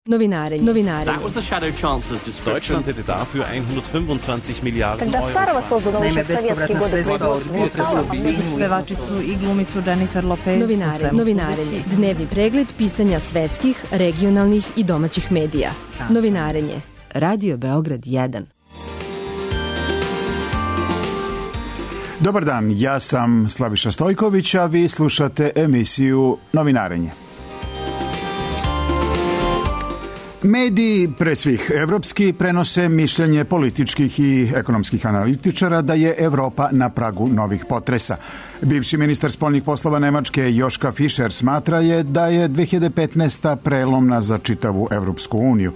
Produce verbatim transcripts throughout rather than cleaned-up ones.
Novinarenje. Novinarenje. That was the shadow chancellor's description. Deutschland hätte dafür hundertfünfundzwanzig Milliarden Когда старого создано Naime, еще в советские bespovratna годы sredstva od производства. pevačicu i glumicu Jennifer Lopez. Novinarenje. Novinarenje. Dnevni pregled pisanja svetskih, regionalnih i domaćih medija. Novinarenje. Radio Beograd jedan. Dobar dan, ja sam Slaviša Stojković, a vi slušate emisiju Novinarenje. Mediji, pre svih evropski, prenose mišljenje političkih i ekonomskih analitičara da je Evropa na pragu novih potresa. Bivši ministar spoljnih poslova Nemačke Joška Fischer smatra je da je dve hiljade petnaesta. prelomna za čitavu Evropsku uniju.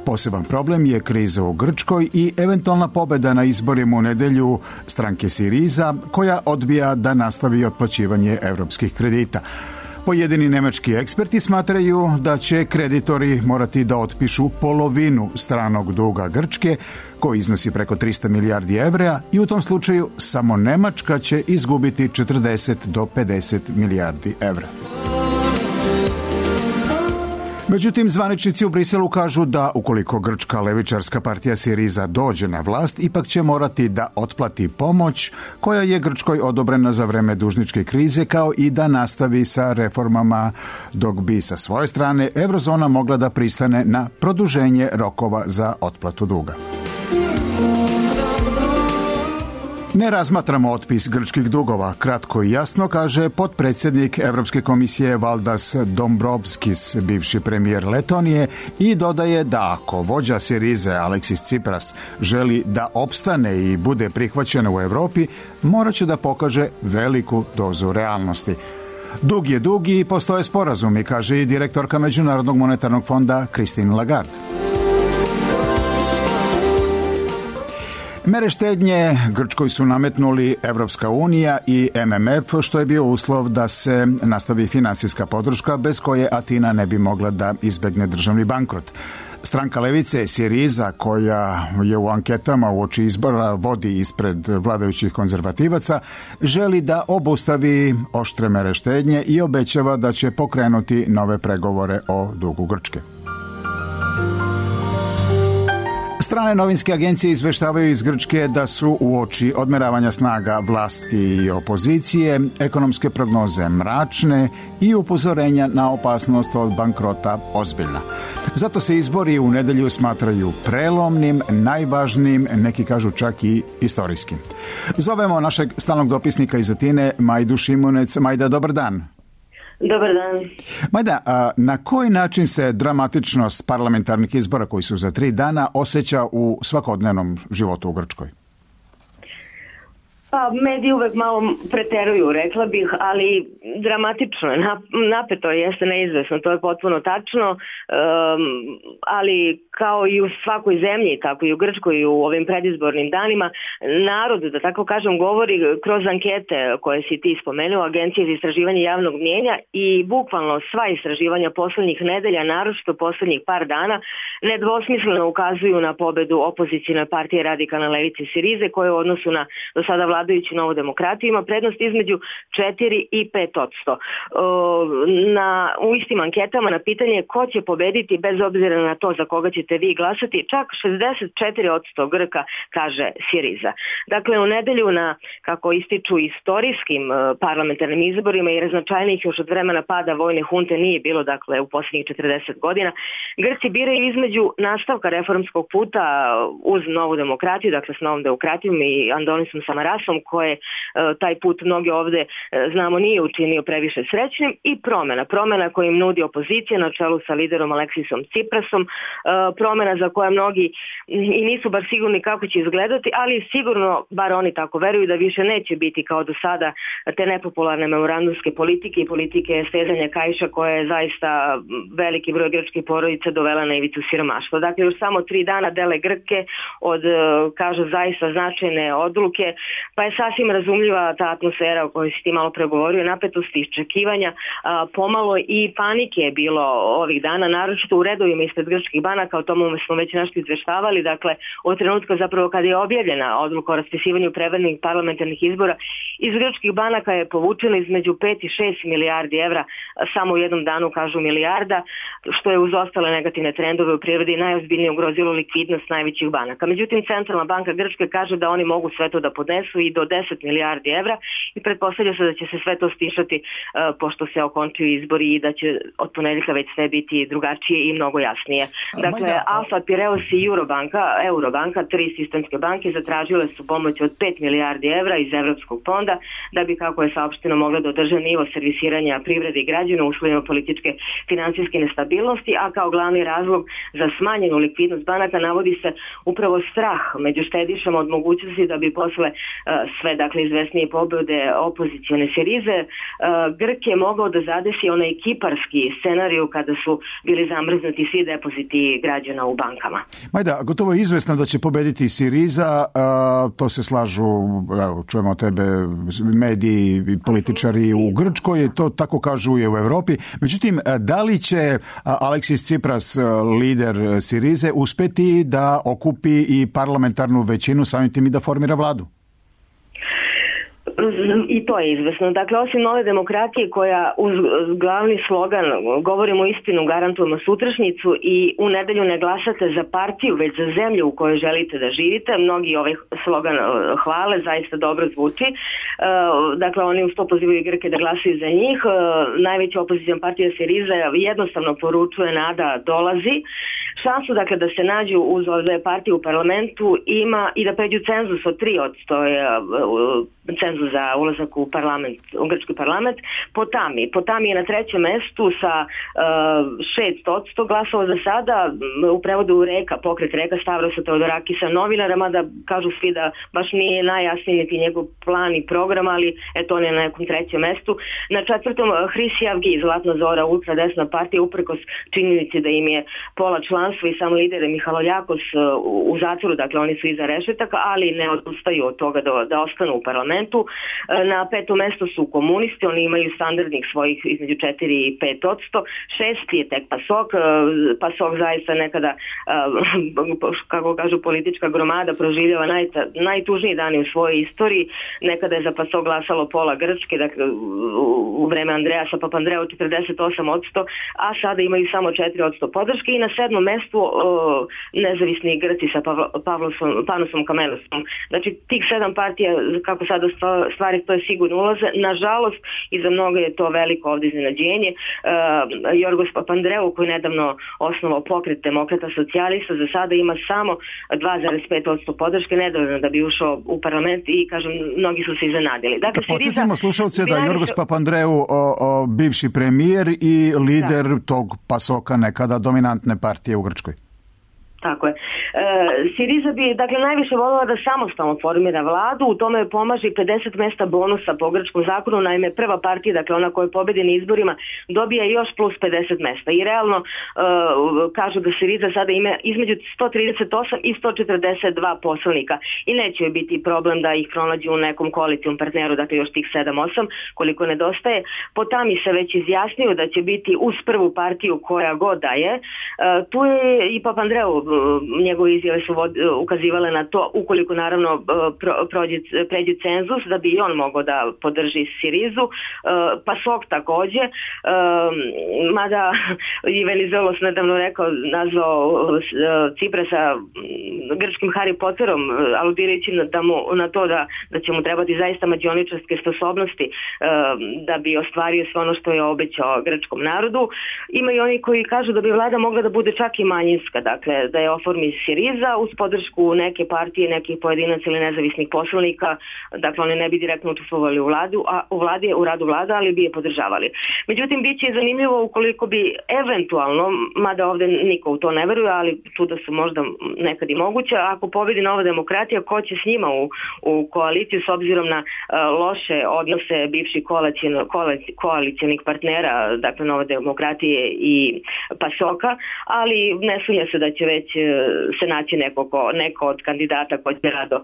Poseban problem je kriza u Grčkoj i eventualna pobeda na izborima u nedelju stranke Siriza, koja odbija da nastavi otplaćivanje evropskih kredita. Pojedini nemački eksperti smatraju da će kreditori morati da otpišu polovinu stranog duga Grčke, koji iznosi preko trista milijardi evra, i u tom slučaju samo Nemačka će izgubiti četrdeset do pedeset milijardi evra. Međutim, zvaničnici u Briselu kažu da ukoliko grčka levičarska partija Siriza dođe na vlast, ipak će morati da otplati pomoć koja je Grčkoj odobrena za vreme dužničke krize, kao i da nastavi sa reformama, dok bi sa svoje strane Eurozona mogla da pristane na produženje rokova za otplatu duga. Ne razmatramo otpis grčkih dugova, kratko i jasno, kaže potpredsjednik Evropske komisije Valdas Dombrovskis, bivši premijer Letonije, i dodaje da ako vođa Sirize Aleksis Tsipras želi da opstane i bude prihvaćena u Evropi, morat će da pokaže veliku dozu realnosti. Dug je dug i postoje sporazumi, kaže i direktorka Međunarodnog monetarnog fonda Christine Lagarde. Mere štednje Grčkoj su nametnuli Evropska unija i M M F, što je bio uslov da se nastavi finansijska podrška bez koje Atina ne bi mogla da izbegne državni bankrot. Stranka levice Siriza, koja je u anketama uoči izbora vodi ispred vladajućih konzervativaca, želi da obustavi oštre mere štednje i obećava da će pokrenuti nove pregovore o dugu Grčke. Strane novinske agencije izveštavaju iz Grčke da su uoči odmeravanja snaga vlasti i opozicije ekonomske prognoze mračne i upozorenja na opasnost od bankrota ozbiljna. Zato se izbori u nedelju smatraju prelomnim, najvažnijim, neki kažu čak i istorijskim. Zovemo našeg stalnog dopisnika iz Atine, Majdu Šimunec. Majda, dobar dan. Dobar dan. Majda, a na koji način se dramatičnost parlamentarnih izbora koji su za tri dana osjeća u svakodnevnom životu u Grčkoj? Pa, mediji uvek malo preteruju, rekla bih, ali dramatično je, napeto je, jeste neizvesno, to je potpuno tačno, um, ali kao i u svakoj zemlji, tako i u Grčkoj i u ovim predizbornim danima, narod, da tako kažem, govori kroz ankete koje si ti spomenuo, Agencije za istraživanje javnog mnijenja, i bukvalno sva istraživanja poslednjih nedelja, naročito poslednjih par dana, nedvosmisleno ukazuju na pobedu opozicijne partije radikalne levice Sirize, koje u odnosu na do sada vladajuću Novu demokratiju ima prednost između četiri i pet odsto. Na, u istim anketama na pitanje ko će pobediti bez obzira na to za koga ćete vi glasati, čak šezdeset četiri odsto Grka kaže Siriza. Dakle, u nedelju na, kako ističu, istorijskim parlamentarnim izborima, jer značajnijih još od vremena pada vojne hunte nije bilo, dakle, u posljednjih četrdeset godina, Grci biraju između nastavka reformskog puta uz Novu demokratiju, dakle s Novom demokratijom i Andonisom Samarasom, koje taj put mnogi ovde, znamo, nije učinio previše srećnim, i promena. Promena koju im nudi opozicija na čelu sa liderom Aleksisom Tsiprasom, promena za koje mnogi i nisu baš sigurni kako će izgledati, ali sigurno, bar oni tako veruju, da više neće biti kao do sada te nepopularne memorandumske politike i politike stezanja kaiša, koje je zaista veliki broj grčkih porodica dovela na ivicu siromaštva. Dakle, još samo tri dana dele Grke od, kažu, zaista značajne odluke, pa pa je sasvim razumljiva ta atmosfera o kojoj si ti malo pregovorio, napetosti, iščekivanja, pomalo i panike je bilo ovih dana, naročito u redovima ispred grčkih banaka, o tomu smo već nešto izveštavali, dakle od trenutka zapravo kada je objavljena odluka o raspisivanju prevremnih parlamentarnih izbora, iz grčkih banaka je povučeno između pet i šest milijardi evra, samo u jednom danu kažu milijarda, što je uz ostale negativne trendove u prirodi najozbiljnije ugrozilo likvidnost najvećih banaka. Međutim, Centralna banka Grčke kaže da oni mogu sve to da podnesu i do deset milijardi evra i pretpostavlja se da će se sve to stišati uh, pošto se okončuju izbori i da će od ponedeljka već sve biti drugačije i mnogo jasnije. Dakle, Alfa, Pireus i Eurobanka, Eurobanka, tri sistemske banke, zatražile su pomoć od pet milijardi evra iz Evropskog fonda da bi, kako je saopšteno, mogla da održe nivo servisiranja privrede i građana u uslovima političke finansijske nestabilnosti, a kao glavni razlog za smanjenu likvidnost banaka navodi se upravo strah među štedišama od mogućnosti da bi posle uh, sve, dakle, izvesnije pobede opozicione Sirize, uh, Grk je mogao da zadesi onaj kiparski scenariju kada su bili zamrznuti svi depoziti građana u bankama. Majda, gotovo je izvesno da će pobediti Siriza, uh, to se slažu, evo, čujemo od tebe, mediji i političari u Grčkoj, to tako kažu i u Evropi. Međutim, da li će Aleksis Tsipras, lider Sirize, uspeti da okupi i parlamentarnu većinu, samim tim i da formira vladu? I to je izvesno. Dakle, osim Nove demokratije koja uz glavni slogan govorimo istinu, garantujemo sutrašnjicu i u nedelju ne glasate za partiju, već za zemlju u kojoj želite da živite, mnogi ovaj slogan hvale, zaista dobro zvuči. Dakle, oni uz to pozivaju Grke da glasaju za njih. Najveća opozicijna partija Siriza jednostavno poručuje nada dolazi. Šansu, dakle, da se nađu uz ove partije u parlamentu ima i da pređu cenzus od tri odsto je cenzus za ulazak u parlament, u grčki parlament. Potami. Potami je na trećem mestu sa šest odsto glasova za sada, u prevodu Reka, pokret Reka, Stavrosa Teodorakisa, novinara, mada kažu svi da baš nije najjasniji niti njegov plan i program, ali eto on je na nekom trećem mestu. Na četvrtom Hrisijavgi, Zlatna Zora, ultradesna partija, uprkos činjenici da im je pola članstva i sam lider Mihaloljakos u zatvoru, dakle oni su iza rešetaka, ali ne odustaju od toga da, da ostanu u parlamentu. Na petom mestu su komunisti, oni imaju standardnih svojih između četiri i pet odsto. Šesti je tek PASOK. PASOK zaista nekada, kako kažu, politička gromada, proživljava naj, najtužniji dani u svojoj istoriji. Nekada je za PASOK glasalo pola Grčke, dakle, u vreme Andreasa Papandreou četrdeset osam odsto, a sada imaju samo četiri odsto podrške i na sedmom mestu o, nezavisni Grci sa Pavlosom, Panosom Kamenosom. Znači, tih sedam partija, kako sada stvari stoje, sigurno ulaze. Nažalost, i za mnogo je to veliko ovdje iznenađenje. Uh, Jorgos Papandreou, koji je nedavno osnovao pokret demokrata socijalista, za sada ima samo dva zarez pet odsto podrške, nedovoljno da bi ušao u parlament i, kažem, mnogi su se iznenadili. Dakle, da podsjetimo slušalce da je Jorgos Papandreou o, o, bivši premijer i lider da. tog PASOK-a, nekada dominantne partije u Grčkoj. Tako je. E, Siriza bi, dakle, najviše voljela da samostalno formira vladu, u tome pomaže i pedeset mesta bonusa po grčkom zakonu, naime prva partija, dakle ona koja je pobedi na izborima, dobija još plus pedeset mesta i realno e, kažu da Siriza sada ima između sto trideset osam i sto četrdeset dva poslanika i neće biti problem da ih pronađu u nekom koalicijom partneru, dakle još tih sedam osam koliko nedostaje. Potami se već izjasnio da će biti uz prvu partiju koja god da je. E, tu je i Papandreou, njegove izjave su ukazivale na to, ukoliko naravno prođe, pređe cenzus, da bi i on mogao da podrži Sirizu. PASOK takođe, mada i Venizelos nedavno rekao, nazvao Tsiprasa grčkim Harry Potterom, aludirajući na, mu, na to da, da će mu trebati zaista mađioničarske sposobnosti da bi ostvario sve ono što je obećao grčkom narodu. Ima i oni koji kažu da bi vlada mogla da bude čak i manjinska, dakle da je oformi Siriza uz podršku neke partije, nekih pojedinaca ili nezavisnih poslanika, dakle oni ne bi direktno učestvovali u vladu, a u vladi, u radu vlada, ali bi je podržavali. Međutim, bit će zanimljivo ukoliko bi eventualno, mada ovde niko u to ne veruje, ali čuda su možda nekad i moguće, ako pobedi Nova demokratija, ko će s njima u, u koaliciju s obzirom na uh, loše odnose bivših koalicionih partnera, dakle Nove demokratije i PASOK-a, ali ne sumnja se da će već već se naći neko, ko, neko od kandidata ko će rado uh,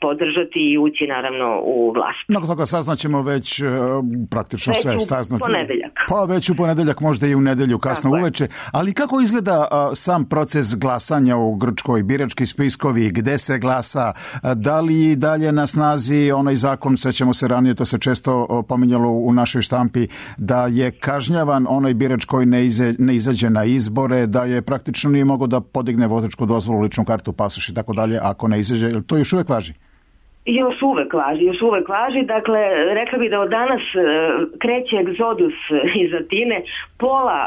podržati i ući naravno u vlast. Mnogo toga saznaćemo već uh, praktično već sve. Već u saznaćemo. ponedeljak. Pa već u ponedeljak, možda i u nedelju kasno Tako uveče. Je. Ali kako izgleda uh, sam proces glasanja u Grčkoj, birački spiskovi, gde se glasa, uh, da li dalje na snazi onaj zakon, sećamo se ranije, to se često uh, pominjalo u našoj štampi, da je kažnjavan onaj birač koji ne, ize, ne izađe na izbore, da je praktično nije mogao da podigne vozačku dozvolu, ličnu kartu, pasoš i tako dalje, ako ne izađe. To još uvek važi? Još uvek važi, još uvek važi. Dakle, rekla bih da od danas kreće egzodus iz Atine. Pola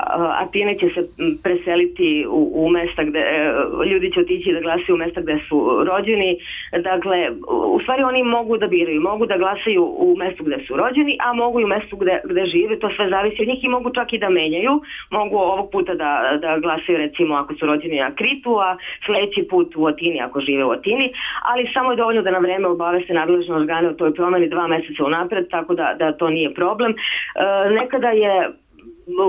Atine će se preseliti u, u mesta gde ljudi će otići da glasaju u mesta gde su rođeni. Dakle, u stvari oni mogu da biraju, mogu da glasaju u mestu gde su rođeni, a mogu i u mestu gde, gde žive. To sve zavisi od njih i mogu čak i da menjaju. Mogu ovog puta da, da glasaju recimo ako su rođeni na Kritu, a sledeći put u Atini ako žive u Atini, ali samo je dovoljno da na vreme obaveste nadležne organe o toj promeni dva meseca unapred, tako da, da to nije problem. E, nekada je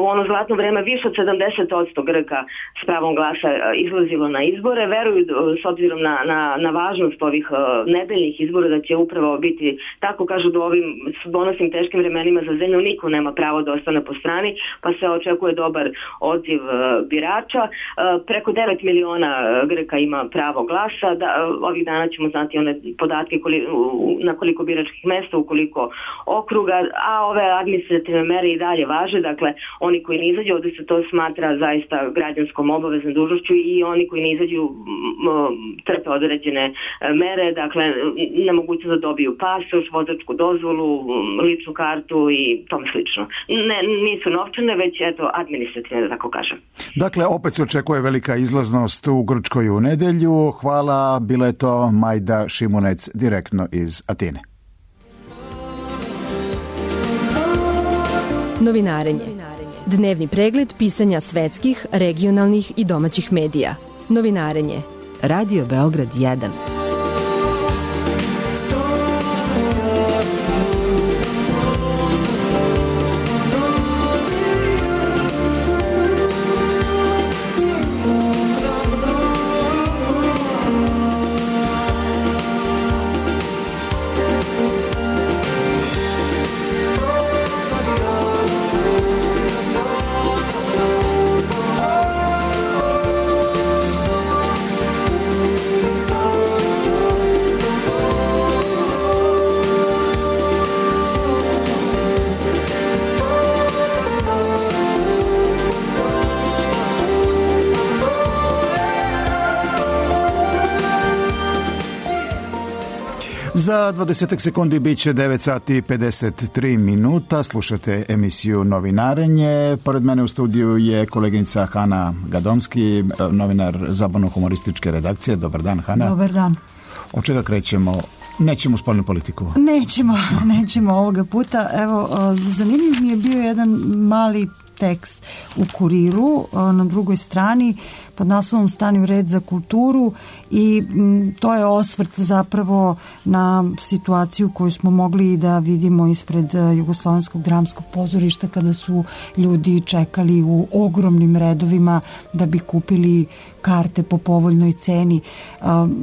u ono zlatno vreme više od sedamdeset posto Grka s pravom glasa izlazilo na izbore. Veruju s obzirom na, na, na važnost ovih uh, nedeljnih izbora da će upravo biti, tako kažu, da ovim donosnim teškim vremenima za zemlju niko nema pravo da ostane po strani, pa se očekuje dobar odziv uh, birača. Uh, preko devet miliona Grka ima pravo glasa. Da, uh, ovih dana ćemo znati one podatke koli, uh, na koliko biračkih mesta, u koliko okruga, a ove administrativne mere i dalje važe. Dakle, oni koji ne izađu, ovdje se to smatra zaista građanskom obaveznom dužnošću i oni koji ne izađu trpe određene mere, dakle nemogućnost da dobiju pasoš, vozačku dozvolu, ličnu kartu i tome slično. Ne, nisu novčane, već eto administrativne, da tako kažem. Dakle, opet se očekuje velika izlaznost u Grčkoj u nedelju. Hvala, bila je to Majda Šimunec direktno iz Atine. Novinarenje. Dnevni pregled pisanja svetskih, regionalnih i domaćih medija. Novinarenje. Radio Beograd jedan. Za dvadeset sekundi bit će devet sati i pedeset tri minuta. Slušate emisiju Novinarenje. Pored mene u studiju je koleginica Hana Gadomski, novinar zabavno-humorističke redakcije. Dobar dan, Hana. Dobar dan. Od čega krećemo? Nećemo u spoljnu politiku. Nećemo, nećemo ovoga puta. Evo, zanimljiv mi je bio jedan mali tekst u Kuriru na drugoj strani pod naslovom Stani u red za kulturu i m, to je osvrt zapravo na situaciju koju smo mogli da vidimo ispred Jugoslovenskog dramskog pozorišta kada su ljudi čekali u ogromnim redovima da bi kupili karte po povoljnoj ceni,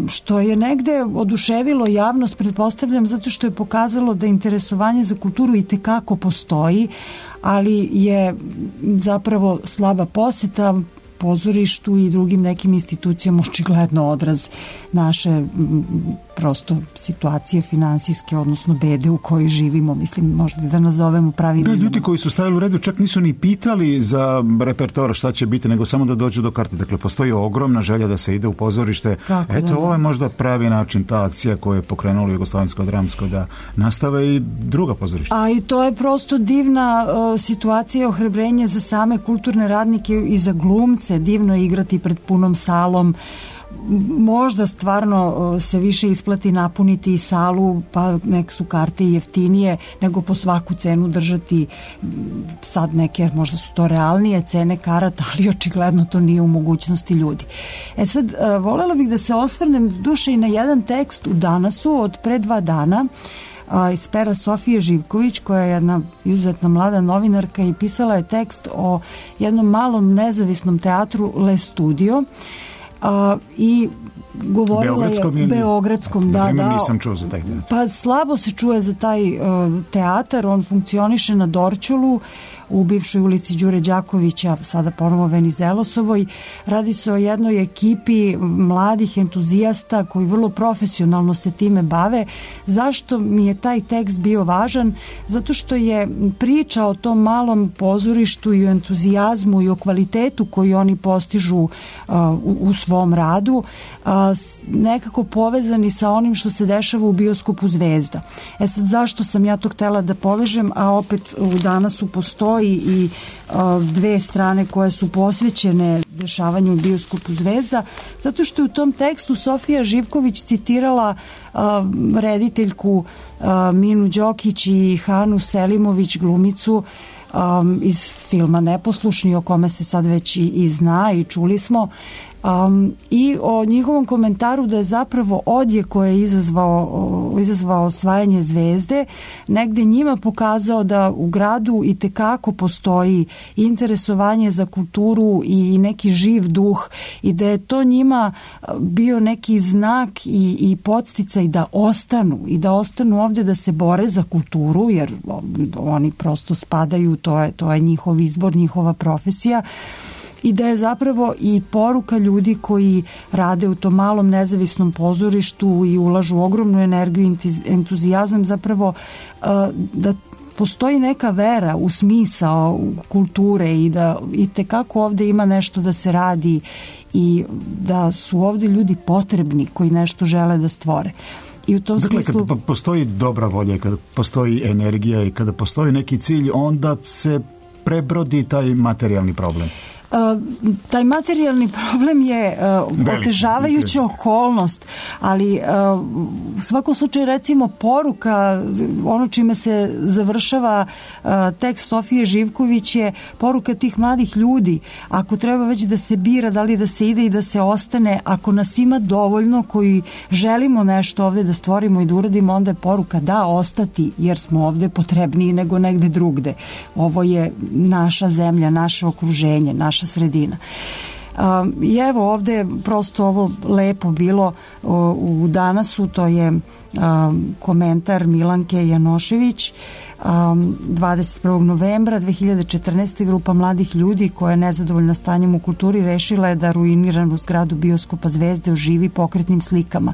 što je negde oduševilo javnost, pretpostavljam, zato što je pokazalo da interesovanje za kulturu i tekako postoji, ali je zapravo slaba poseta pozorištu i drugim nekim institucijama očigledno odraz naše prosto situacije finansijske, odnosno bede u kojoj živimo, mislim, možda da nazovemo pravim imenom. Ljudi koji su stavili u redu čak nisu ni pitali za repertoar šta će biti, nego samo da dođu do karte. Dakle, postoji ogromna želja da se ide u pozorište. Tako, eto, da, ovo je možda pravi način, ta akcija koja je pokrenula Jugoslovensko dramsko, da nastave i druga pozorišta. A i to je prosto divna uh, situacija, ohrabrenje za same kulturne radnike i za glumce. Divno je igrati pred punom salom. Možda stvarno se više isplati napuniti i salu, pa nek su karte jeftinije, nego po svaku cenu držati sad neke, možda su to realnije cene karata, ali očigledno to nije u mogućnosti ljudi. E sad, volela bih da se osvrnem duše i na jedan tekst u Danasu od pre dva dana, iz pera Sofije Živković, koja je jedna izuzetna mlada novinarka i pisala je tekst o jednom malom nezavisnom teatru Le Studio a, i govorila Beogradskom je ili... Beogradskom, da, da. Nisam čuo za taj teatar. Pa slabo se čuje za taj uh, teatar, on funkcioniše na Dorćolu, u bivšoj ulici Đure Đakovića, sada ponovo Venizelosovoj. Radi se o jednoj ekipi mladih entuzijasta koji vrlo profesionalno se time bave. Zašto mi je taj tekst bio važan? Zato što je priča o tom malom pozorištu i o entuzijazmu i o kvalitetu koji oni postižu uh, u, u svom radu uh, nekako povezani sa onim što se dešava u bioskopu Zvezda. E sad, zašto sam ja to htela da povežem, a opet u Danasu postoji i uh, dve strane koje su posvećene dešavanju u bioskopu Zvezda, zato što je u tom tekstu Sofija Živković citirala uh, rediteljku uh, Minu Đokić i Hanu Selimović, glumicu um, iz filma Neposlušni, o kome se sad već i, i zna i čuli smo. Um, i o njihovom komentaru da je zapravo odjek koje je izazvao, izazvao osvajanje Zvezde negde njima pokazao da u gradu i tekako postoji interesovanje za kulturu i neki živ duh i da je to njima bio neki znak i, i podsticaj da ostanu i da ostanu ovde da se bore za kulturu, jer oni prosto spadaju, to je, to je njihov izbor, njihova profesija. I da je zapravo i poruka ljudi koji rade u tom malom nezavisnom pozorištu i ulažu ogromnu energiju i entuzijazam zapravo da postoji neka vera u smisao kulture i da i tekako ovde ima nešto da se radi i da su ovde ljudi potrebni koji nešto žele da stvore. I u tom dakle, smislu... kada postoji dobra volja, kada postoji energija i kada postoji neki cilj, onda se prebrodi taj materijalni problem. Uh, taj materijalni problem je uh, otežavajuća okolnost, ali uh, u svakom slučaju recimo poruka, ono čime se završava uh, tekst Sofije Živković je poruka tih mladih ljudi. Ako treba već da se bira, da li da se ide i da se ostane, ako nas ima dovoljno koji želimo nešto ovde da stvorimo i da uradimo, onda je poruka da ostati, jer smo ovde potrebniji nego negde drugde. Ovo je naša zemlja, naše okruženje, naša sredina. Um, I evo ovde je prosto ovo lepo bilo o, u Danasu, to je um, komentar Milanke Janošević. Um, dvadeset prvog novembra dve hiljade četrnaeste. grupa mladih ljudi koja je nezadovoljna stanjem u kulturi rešila je da ruiniranu zgradu bioskopa Zvezde oživi pokretnim slikama.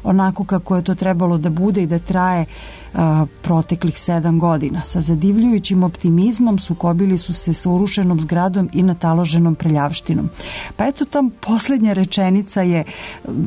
Onako kako je to trebalo da bude i da traje uh, proteklih sedam godina. Sa zadivljujućim optimizmom sukobili su se sa urušenom zgradom i nataloženom prljavštinom. Pa eto, tam poslednja rečenica je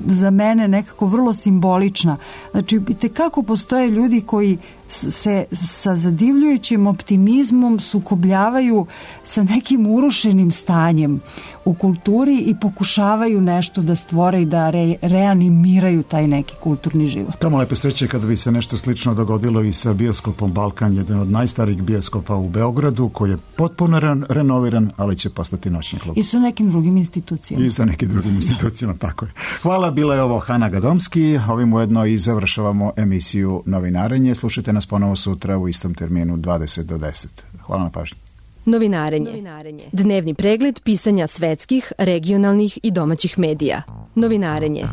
za mene nekako vrlo simbolična. Znači, itekako postoje ljudi koji se sa zadivljujućim optimizmom sukobljavaju sa nekim urušenim stanjem u kulturi i pokušavaju nešto da stvore i da re, reanimiraju taj neki kulturni život. Tamo lepe sreće kada bi se nešto slično dogodilo i sa bioskopom Balkan, jedan od najstarijih bioskopa u Beogradu, koji je potpuno re, renoviran, ali će postati noćni klub. I sa nekim drugim institucijama. I sa nekim drugim institucijama, tako je. Hvala, bila je ovo Hana Gadomski. Ovim ujedno i završavamo emisiju Novinarenje. Slušajte nas ponovo sutra u istom terminu dvadeset do deset. Hvala na pažnji. Novinarenje. Novinarenje. Dnevni pregled pisanja svetskih, regionalnih i domaćih medija. Novinarenje.